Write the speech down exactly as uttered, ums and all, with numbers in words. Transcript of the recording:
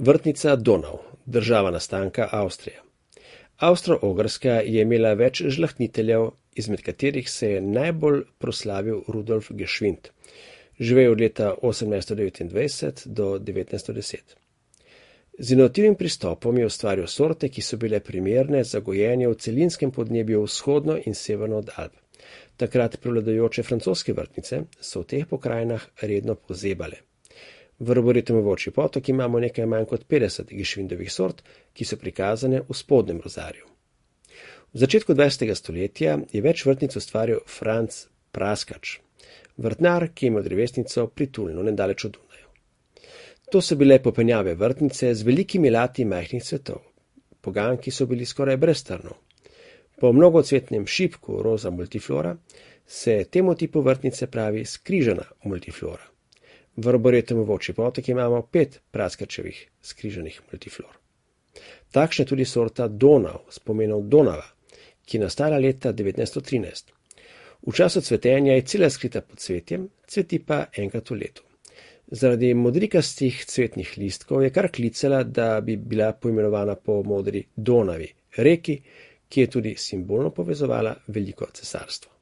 Vrtnica Donau, država nastanka Avstrija. Avstro-Ogrska je imela več žlahtniteljev, izmed katerih se je najbolj proslavil Rudolf Geschwind. Živel od leta osemnajststo devetindvajset do devetnajststo deset. Z inovativnim pristopom je ustvaril sorte, ki so bile primerne za gojenje v celinskem podnebju vzhodno in severno od Alp. Takrat prevladujoče francoske vrtnice so v teh pokrajinah redno pozebale. V Arboretumu Volčji Potok imamo nekaj manj kot petdeset Geschwindovih sort, ki so prikazane v spodnjem rozarju. V začetku dvajsetega stoletja je več vrtnic ustvaril Franc Praskač, vrtnar, ki je imel drevesnico pri Tulnu, nedaleč od Dunaja. To so bile popenjave vrtnice z velikimi lati majhnih cvetov. Poganjki so bili skoraj brez trnov. Po mnogocvetnem šipku roza multiflora se temu tipu vrtnice pravi skrižana multiflora. V Arboretumu Volčji Potok imamo pet praskačevih skrižanih multiflor. Takšna je tudi sorta Donau s pomenom Donava, ki je nastala leta devetnajststo trinajst. V času cvetenja je cela skrita pod cvetjem, cveti pa enkrat v letu. Zaradi modrikastih cvetnih listkov je kar klicala, da bi bila poimenovana po modri Donavi, reki, ki je tudi simbolno povezovala veliko cesarstvo.